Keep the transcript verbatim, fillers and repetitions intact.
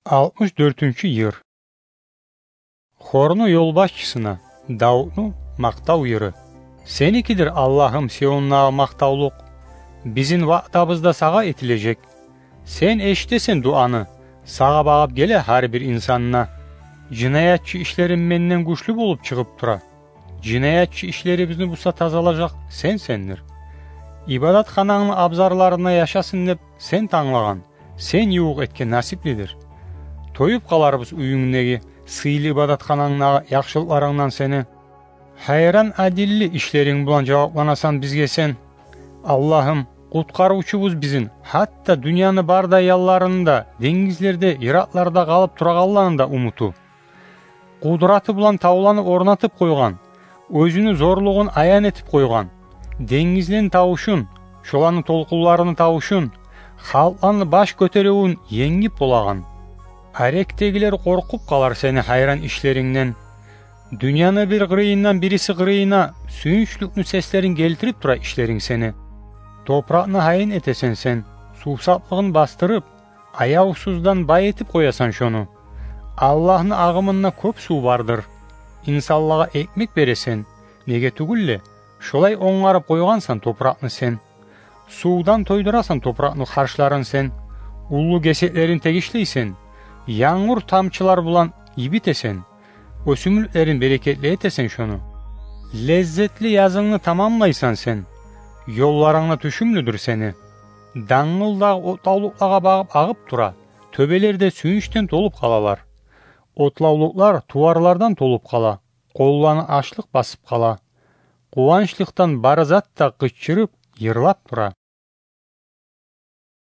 Алтмыш дёртюнчю йыр. Хорну ёлбашчысына Давутну макътав йыры. Сеникидир, Аллагьым, Сиондагъы макътавлукъ, бизин ваъдабыз да сагъа этилежек. Сен эшитесен дуаны, сагъа багъып геле гьар бир инсан да. Жинаятчы ишлерим менден гючлю болуп чыгъып тура. Жинаятчы ишлерибизни буса тазалажакъ сенсендир. Ибадатханангны абзарларында яшасын деп сен танглагъан, сен ювукъ этген насиплидир. Тоюп къаларбыз уьюнгдеги, сыйлы ибадатханангдагъы яхшылыкъларынгдан сени. Гьайран адилли ишлеринг булан жавапланасан бизге сен. Аллагьым, къутгъарывчубуз бизин, гьатта дюньяны бардай янларында, денгизлерде, йыракъларда къалып турагъанланы да умуту. Къудраты булан тавланы орнатып къойгъан, оьзюню зорлугъун аян этип къойгъан, денгизлени тавушун, шоланы толкъунларыны тавушун, халкъланы баш гётеривюн енгип болагъан. Арекдегилер къоркъуп къалар сени гьайран ишлерингден. Дюньяны бир къырыйындан бириси къырыйына сююнчлюкню сеслерин гелтирип тура ишлеринг сени. Топуракъны гьайын этесен сен, сувсаплыгъын бастырып, аявсуздан бай этип къоясан шону. Аллагьны агъымында кёп сув бардыр. Инсанлагъа экмек бересен, неге тюгюл де, шолай онгарып къойгъансан топуракъны сен. Сувдан тойдурасан топуракъны харшларын сен, уллу гесеклерин тегишлейсен, янгур тамчылар булан йибитесен, оьсюмлюклерин берекетли этесен шону. Леззетли язынгны тамамлайсан сен, ёлларынг да тюшюмлюдюр сени. Дангылдагъы отлавлукълагъа багъып агъып тура, тёбелер де сююнчден толуп къалалар. Отлавлукълар туварлардан толуп къала, къолланы ачлыкъ басып къала. Къуванчлыкъдан бары зат да къычырып, йырлап тура.